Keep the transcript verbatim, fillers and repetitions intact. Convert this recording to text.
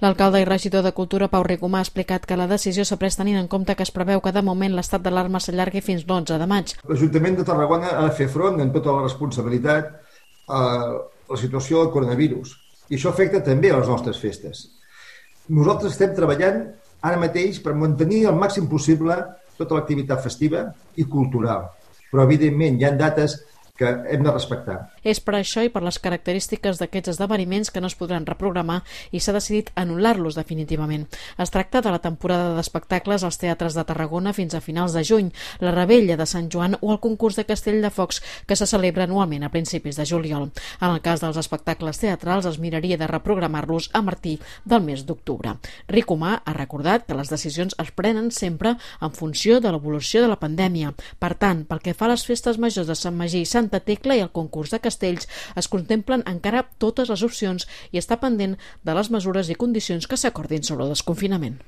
L'alcalde i regidor de Cultura, Pau Ricomà, ha explicat que la decisió s'ha pres tenint en compte que es preveu que de moment l'estat d'alarma s'allargui fins l'onze de maig. L'Ajuntament de Tarragona ha de fer front amb tota la responsabilitat a la situació del coronavirus i això afecta també a les nostres festes. Nosaltres estem treballant ara mateix per mantenir al màxim possible tota l'activitat festiva i cultural, però evidentment hi ha dates que hem de respectar. És per això i per les característiques d'aquests esdeveniments que no es podran reprogramar i s'ha decidit anul·lar-los definitivament. Es tracta de la temporada d'espectacles als teatres de Tarragona fins a finals de juny, la Rebella de Sant Joan o el concurs de Castell de Focs que se celebra anualment a principis de juliol. En el cas dels espectacles teatrals es miraria de reprogramar-los a partir del mes d'octubre. Ricomà ha recordat que les decisions es prenen sempre en funció de l'evolució de la pandèmia. Per tant, pel que fa a les festes majors de Sant Magí i Santa Tecla i el concurs de castells, es contemplen encara totes les opcions i està pendent de les mesures i condicions que s'acordin sobre el desconfinament.